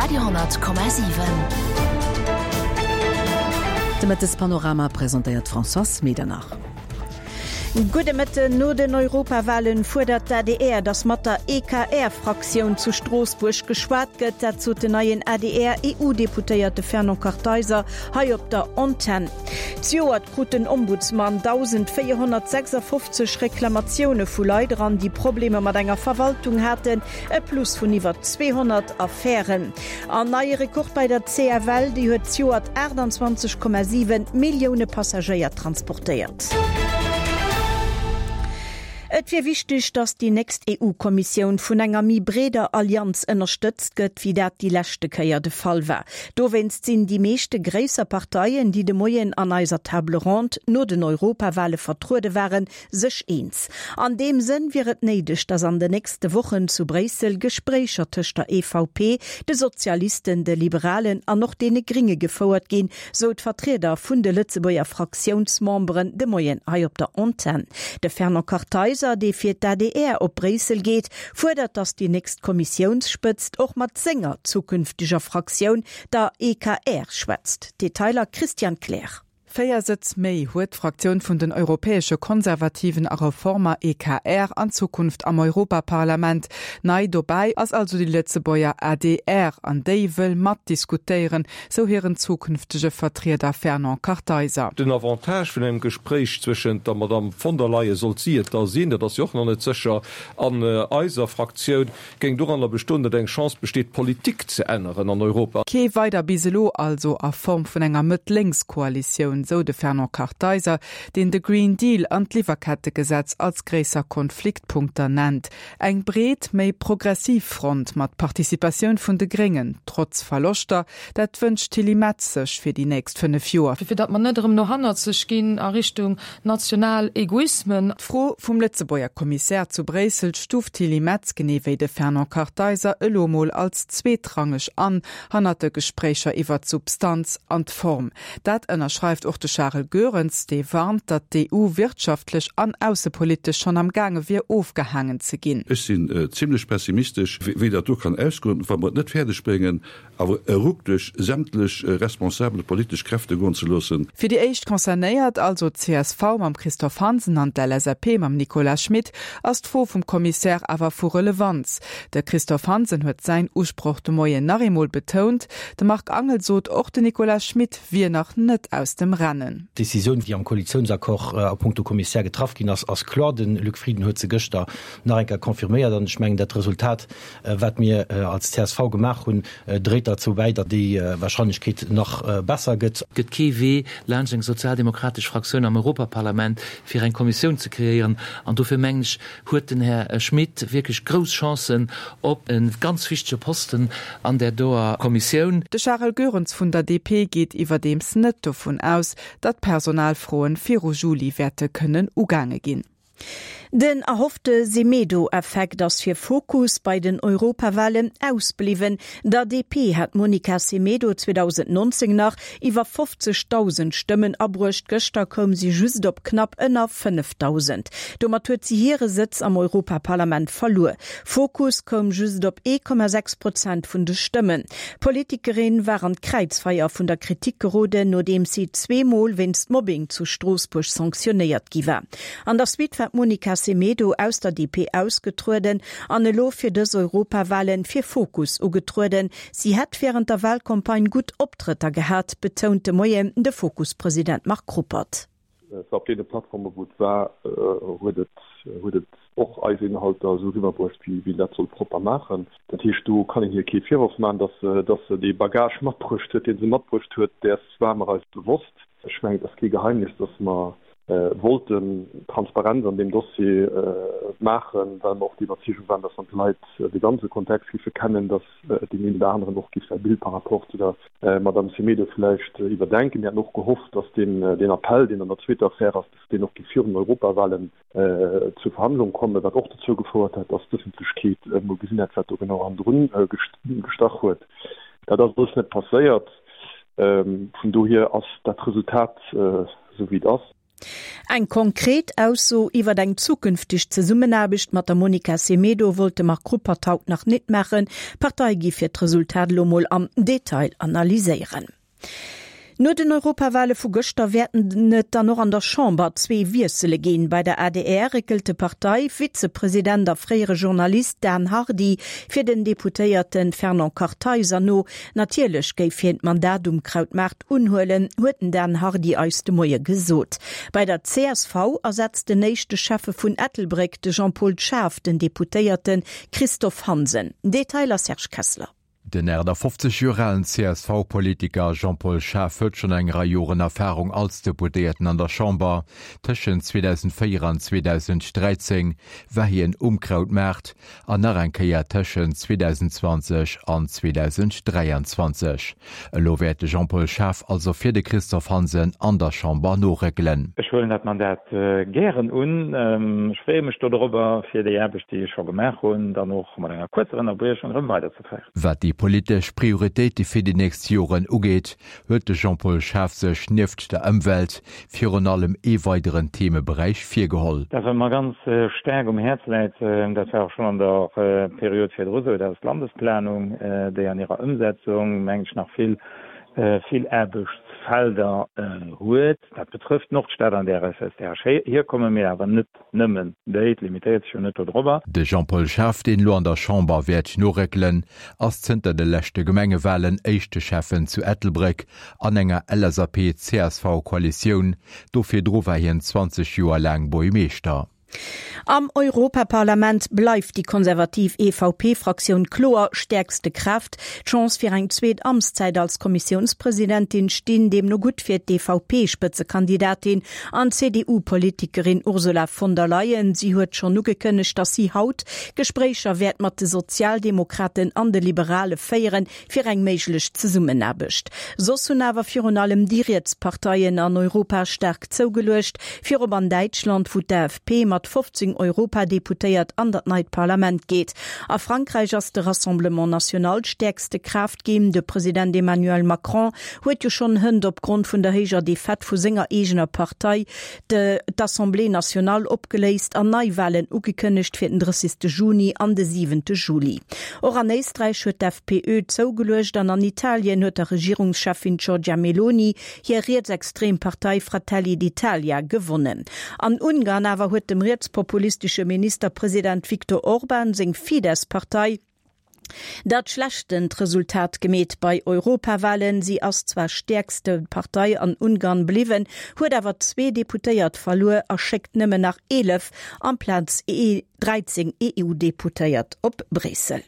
Radio,7. De Mëttespanorama presentéiert d'Françoise Medernach. Gudde Mëtten. No den Europawahlen fuerdert d'ADR, datt mat der EKR-Fraktioun zu Stroossbuerg geschwat gëtt. Dat sot den neien ADR-EU-Deputéierte Fernand Kartheiser hei op der Antenn. Zejoert krut den Ombudsman 1.456 Reklamatioune vu Leit eran, déi Problemer mat enger Verwaltung haten, e Plus vun iwwer 200 Affären. An neie Rekord bei der CFL, déi huet zejoert 28,7 Millioune Passagéier transportéiert. Et wier wichteg, datt déi nächst EU-Kommissioun vun enger méi breeder Allianz ënnerstëtzt gëtt, wéi dat déi leschte Kéier de Fall war. Dowéinst sinn déi meeschte gréisser Parteien, déi de Moien an eiser Table ronde no den Europawale vertruede waren, sech eens. An deem Sënn wier et néideg, datt an den nächste Wochen zu Bréissel Gespréicher tëscht der EVP, de Sozialisten, de Liberalen an och deene Gringe gefouert ginn, sou d'Vertrieder vun de Lëtzebuerger Fraktiounsmemberen de Moien hei op der Antenn. De Fernand Kartheiser, dee fir d'ADR op Bréissel geet, fuerdert, datt déi nächst Kommissiounsspëtzt och mat senger zukünfteger Fraktioun, der EKR, schwätzt. Detailer Christian Kleer. 4 Sëtz méi huet d'Fraktioun vun den Europäesche Konservativen a Reformer, EKR, an Zukunft am Europaparlament. Nei dobäi ass also déi Lëtzebuerger adr an déi wëll matdiskutéieren, sou hiren zukünftege Vertrieder Fernand Kartheiser. Den Avantage vun engem Gespréich zwëschent der Madamm von der Leyen, sollt si et da sinn, dat ass jo och nach net sécher, an eiser Fraktioun, géing doranner bestoen, datt eng Chance besteet, d'Politik ze änneren an Europa. Kee weider bis elo also a Form vun enger Mëtt-Lénks-Koalitioun, sou de Fernand Kartheiser, deen de Green Deal an d'Liwwerkettegesetz als gréisser Konfliktpunkter nennt. Eng breet, méi progressiv Front mat Participatioun vun de Gréngen, trotz Verloschter, dat wënscht d'Tilly Metz sech fir déi nächst 5 Joer. Fir datt mer net erëm no hannerzeg ginn a Richtung national Egoismen. D'Fro vum Lëtzebuerger Kommissär zu Bréissel stuuft d'Tilly Metz, genee wéi de Fernand Kartheiser, elo mol als zweetrangeg an, hannert de Gespréicher iwwer d'Substanz an d'Form. Dat ënnerschreift och de Charel Goerens, dee warnt, datt d'EU wirtschaftlech an aussepolitesch schonn am gaange wier ofgehaangen ze ginn. Ech sinn zimlech pessimistesch, wéi dat do kann ausgoen, wa mer et net fäerdeg bréngen, awer e Ruck duerch sämtlech responsabel politesch Kräfte goen ze loossen. Fir déi éischt Concernéiert, also d'CSV mam Christophe Hansen an d'LSAP mam Nicolas Schmit, ass d'Fro vum Kommissär awer vu Relevanz. De Christophe Hansen huet säin Usproch de Moien nach eemol betount. De Marc Angel sot, och de Nicolas Schmit wier nach net aus dem Rennen. D'Decisioun, déi am Koalitiounsaccord a punkto Kommissär getraff ginn ass, ass kloer. De Luc Frieden huet se gëschter nach eng Kéier confirméiert an ech mengen, dat Resultat, Wat mir als csv gemaach hunn, dréit derzou bäi, datt déi Wahrscheinlechkeet nach besser gëtt. Et gëtt kee Wee laanscht eng sozialdemokratesch Fraktioun am Europaparlament, fir eng Kommissioun ze kreéieren. An dofir, mengen ech, huet den Här Schmit wierklech grouss Chancen op e ganz wichtege Posten an där doer Kommissioun. De Charel Goerens vun der DP geet iwwerdeems net dovun aus, datt Personalfroen viru Juli wäerte kënnen ugaange ginn. Den erhoffte Semedo-Effekt ass fir Fokus bei den Europawalen ausbliwwen. Der DP hat d'Monica Semedo 2019 nach iwwer 50.000 Stëmmen abruecht, gëschter koum si just op knapp ënner 5.000. Domat huet si hire Sëtz am Europaparlament verluer. Fokus koum just op 1,6 Prozent vun de Stëmmen. D'Politikerin war an d'Kräizfeier vun der Kritik geroden, nodeems si zweemol wéinst Mobbing zu Stroossbuerg sanktionéiert gi war. An der Suite war d'Monica Semedo aus der DP ausgetrueden an elo fir dës Europawalen fir Fokus ugetrueden. Si hätt wärend der Walcampagne gutt Optrëtter gehat, betount de Moien de Fokus-President Marc Ruppert. Et war op deene Plattforme wou et war, huet et huet et och eis Inhalter esou eriwwerbruecht, wéi een dat soll propper maachen. Dat heescht, do kann een hir kee Virworf maachen, datt se datt se dee Bagage matbruecht huet, dee se matbruecht huet, däers ware mer eis bewosst. Ech mengen, et ass kee Geheimnis, datt mer wollten Transparenz an deem Dossier maachen, well mer och der Iwwerzeegung waren, dass wann d'Leit de ganze Kontext géife kennen, dass deen een oder aneren och géif säi Bild par rapport zu der Madame Semedo vläicht iwwerdenken. Mir haten och gehofft, dass deen Appell, deen an der zweeter Affär ass, dass deen och géif virun den Europawahlen zur Verhandlung kommen, wat och dozou gefouert hätt, dass d'Ëffentlechkeet emol gesinn hätt, wat do genau hannendrun gestach huet. Dat ass alles net passéiert. Vun dohier ass dat Resultat esou wéi et ass. Eng konkret Ausso iwwer eng zukünfteg Zesummenaarbecht mat der Monica Semedo wollt de Marc Ruppert haut nach nit maachen. D'Partei giff fir d'Resultat elo mol am Detail analyséieren. No den Europawale vu gëschter wäerten et dann och an der Chamber zwee Wiessele ginn. Bei der adr réckelt de Partei-Vizepresident a fréiere Journalist Dan Hardy fir den Deputéierte Fernand Kartheiser no. Natierlech géif hien d'Mandat um Krautmaart unhuelen, huet den Dan Hardy eis de Moie gesot. Bei der csv ersetzt den éischte Schäffe vun Ettelbréck, de Jean-Paul Schaaf, den Deputéierte Christophe Hansen. Detailer Serge Kessler. Den 58 Joer alen CSV-Politiker Jean-Paul Schaaf huet schonn eng Rei Joren Erfarung als Deputéierten an der Chamber. Tëschent 2004 an 2013 war hien um Krautmaart an nach eng Kéier tëschent 2020 an 2023. Elo wäert de Jean-Paul Schaaf also fir de Christophe Hansen an der Chamber noréckelen. Ech huelen dat Mandat gären un. Ech freeë mech dodrobber, fir déi Aarbecht, déi ech scho gemaach hunn, dann och mat enger kuerzer Ënnerbriechung erëm weiderzeféieren. Wat déi politesch Prioritéite fir déi nächst Joren ugeet, huet de Jean-Paul Schaaf sech nieft der Ëmwelt virun allem ee weideren Themeberäich virgeholl. Dat wat mer ganz staark um Häerz läit, dat war och schonn an der Period virdru sou, dat ass d'Landesplanung, déi an hirer Ëmsetzung, mengen ech, nach vill, vill Aarbechtsfelder huet. Dat betrëfft d'Nordstad, an där ech, aus där ech hierkommen, mee awer net nëmmen déi, et limitéiert sech jo net dodrobber. De Jean-Paul Schaaf, deen elo an der Chamber wäert noréckelen, ass zënter de leschte Gemengewalen éischte Schäffen zu Ettelbréck an enger LSAP-CSV-Koalitioun. Do virdru war hien 20 Joer laang Buergmeeschter. Am Europaparlament bleift déi konservativ EVP-Fraktioun kloer stäerkste Kraaft. D'Chance fir eng zweet Amtszäit als Kommissiounspresidentin stinn deemno gutt fir d'EVP-Spëtzekandidatin an d'CDU-Politikerin Ursula von der Leyen. Si huet schonn ugekënnegt, datt si haut Gespréicher wäert mat de Sozialdemokraten an de Liberale féieren, fir eng méiglech Zesummenaarbecht. Soss hunn awer virun allem déi riets Parteien an Europa staark zougeluecht, virop an Däitschland, wou d'AfP mat 15 Europadeputéiert an dat neit Parlament geet. A Frankräich ass de Rassemblement National stäerkste Kraaft ginn. De President Emmanuel Macron huet jo schonn hënt opgrond vun der héijer Defaite vu senger eegener Partei d'Assemblée nationale opgeléist an Neiwalen ugekënnegt fir den 30. Juni an de 7. Juli. Och an Éisträich huet d'FPÖ zougeluecht an an Italien huet der Regierungscheffin Giorgia Meloni hir rietsextrem Partei Fratelli d'Italia gewonnen. An Ungarn awer huet dem rietspopulistesche Ministerpresident Viktor Orban seng Fidesz-Partei, Dat schlechtent Resultat gemeet bei Europawalen. Si ass zwar stäerkste Partei an Ungarn bliwwen, huet awer zwee Deputéiert verluer a schéckt nëmmen nach 11 amplaz 13 EU-Deputéiert op Bréissel.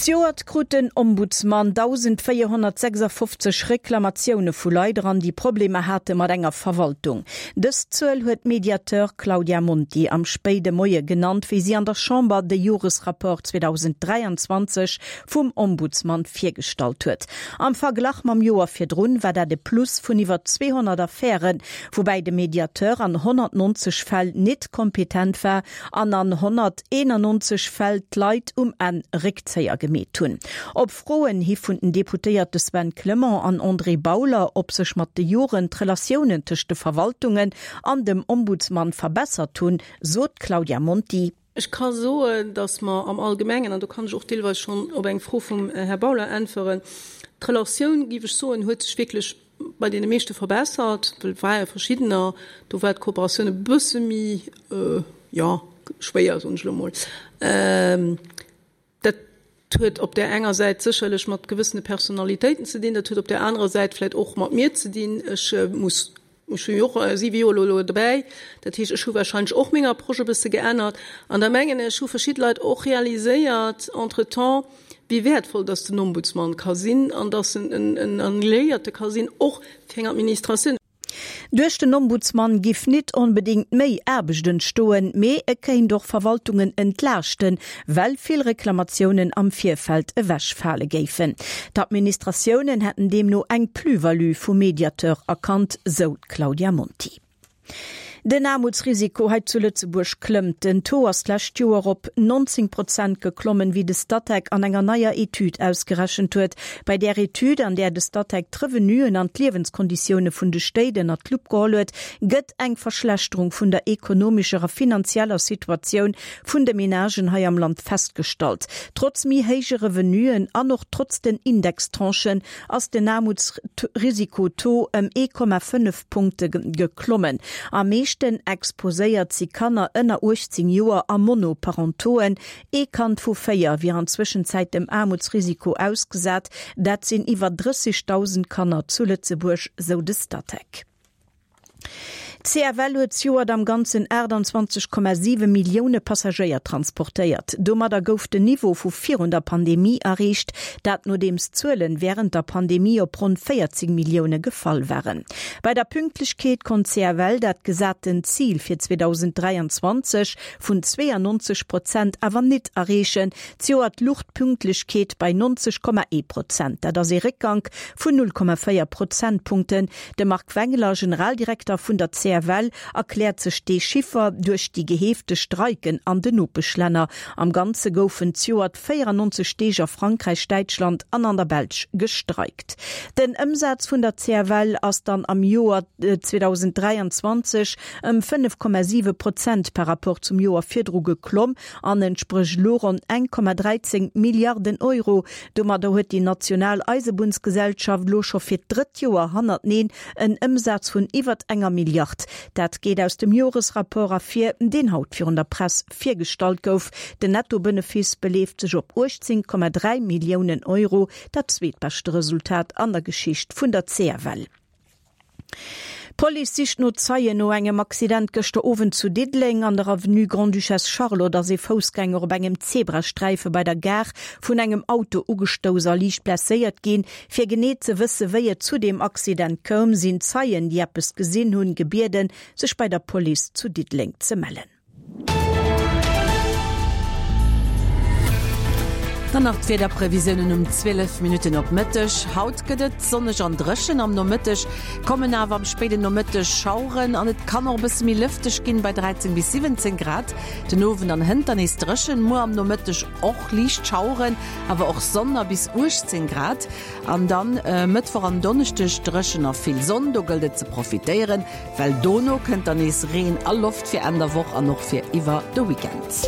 Zejoert krut den Ombudsman 1.456 Reklamatioune vu Leit eran, déi Problemer hate mat enger Verwaltung. Dës Zuel huet d'Mediateur Claudia Monti am spéide Moie genannt, wéi si an der Chamber de Joresrapport 2023 vum Ombudsman virgestallt huet. Am Verglach mam Joer virdrun war dat e Plus vun iwwer 200 Affären, woubäi de Mediateur an 190 Fäll nit kompetent war an an 191 Fäll d'Leit um Enn Réckzéier gemeet hunn. Op Froen hi vun den Deputéierte Sven Clement an André Bauler, ob sech mat de Joren d'Relatiounen tëscht de Verwaltungen an dem Ombudsman verbessert hunn, sot d'Claudia Monti. Ech ka soen, datt mer am Allgemengen, an do kann ech och deelweis schonn op eng Fro vum Här Bauler äntweren, d'Relatioun, géif ech soen, huet sech wierklech bei deene meeschte verbessert, well et ware verschiddener, do war d'Kooperatioun e bësse méi, jo, schwéier, soen ech elo emol. Dat huet op där enger Säit sécherlech mat gewëssene Personalitéiten ze dinn, dat huet op där anerer Säit vläicht och mat mir ze dinn. Ech muss, ech hunn jo och siwe Joer elo elo dobäi, dat heescht, ech hu warscheinlech och meng Approche e bësse geännert. An da mengen ech, hu verschidde Leit och realiséiert entretemps, wéi wäertvoll dass den Ombudsman ka sinn an dass en en Alliéierte ka sinn, och fir eng Administratioun. Duerch den Ombudsman giff nit onbedéngt méi Aarbecht entstoen, mee e kéint och Verwaltungen entlaaschten, well vill Reklamatiounen am Virfeld ewechfale géifen. D'Administratiounen hätten deemno eng Plus-value vum Mediateur erkannt, sou d'Claudia Monti. Den Aarmutsrisiko hei zu Lëtzebuerg klëmmt. Den Taux ass d'lescht Joer op 19 Prozent geklommen, wéi de Statec an enger neier Etüd ausgerechent huet. Bei där Etüd, an där de Statec d'Revenuen an d'Liewenskonditioune vun de Stéit ënnert d'Lupp geholl huet, gëtt eng Verschlechterung vun der ekonomescher a finanzieller Situatioun vun de Menagen hei am Land festgestallt. Trotz méi héije Revenuen an och trotz den Indextranchen ass den Aarmutsrisiko-Taux ëm 1,5 Punkte geklommen. Am meeschten exposéiert si Kanner ënner 18 Joer a Monoparentoen. Ee Kand vu 4 wier an Zwëschenzäit dem Aarmutsrisiko ausgesat, dat sinn iwwer 30.000 Kanner zu Lëtzebuerg, sou de Statec. D'CFL huet zejoert am Ganzen 28,7 Millioune Passagéier transportéiert. Domadder gouf den Niveau vu virun der Pandemie erreecht, dat nodeems d'Zuelen wärend der Pandemie op ronn 14 Millioune gefall waren. Bei der Pünktlechkeet konnt d'CFL dat gesaten Zil fir 2023 vun 92 Prozent awer nit erreechen. Zejoert luch d'Pünktlechkeet bei 90,1 Prozent. Dat ass ee Réckgank vun 0,4 Prozentpunkten. De Marc Wengler, Generaldirekter vun der CFL, erkläert sech dee Chiffer duerch déi geheefte Streiken an den Nopeschlänner. Am Ganze goufen zejoert 94 Deeg a Frankräich, Däitschland an an der Belsch gestreikt. Den Ëmsaz vun der CFL ass dann am Joer 2023 ëm 5,7 Prozent par Rapport zum Joer virdru geklomm an entsprécht elo ronn 1,13 Milliarden Euro. Domadder huet déi national Eisebunnsgesellschaft elo scho fir d'drëtt Joer hannerteneen en Ëmsaz vun iwwert enger Milliard. Dat geet aus dem Joresrapport ervir, deen haut virun der Press virgestallt gouf. Den Nettobenefice beleeft sech op 18,3 Milliounen Euro, dat zweetbeschte Resultat an der Geschicht vun der CFL. D'Police sicht no Zeien no engem Accident gëschter Owend zu Diddeleng. An der Avenue Grande-Duchesse Charlotte ass ee Foussgänger op engem Zebrasträife bei der Gare vun engem Auto ugestouss a liicht blesséiert ginn. Fir genee ze wësse wéi et zu deem Accident koum, sinn Zeien, déi eppes gesinn hunn, gebieden, sech bei der Police zu Diddeleng ze mellen. Dann nach d'Wiederprevisiounen um 12 Minutten op Mëtteg. Haut gëtt et sonneg an dréchen, am Nomëtteg kommen awer am spéiden Nomëtteg Schaueren an et kann och e bësse méi lëfteg ginn, bei 13 bis 17 Grad. Den Owend an hënt dann nees dréchen, muer am Nomëtteg och liicht Schaueren, awer och Sonn a bis 18 Grad. An dann Mëttwoch an Donneschdeg dréchen a vill Sonn, do gëllt et ze profitéieren. Well dono kënnt dann nees Reen a Loft fir Enn der Woch an och fir iwwer de Weekend.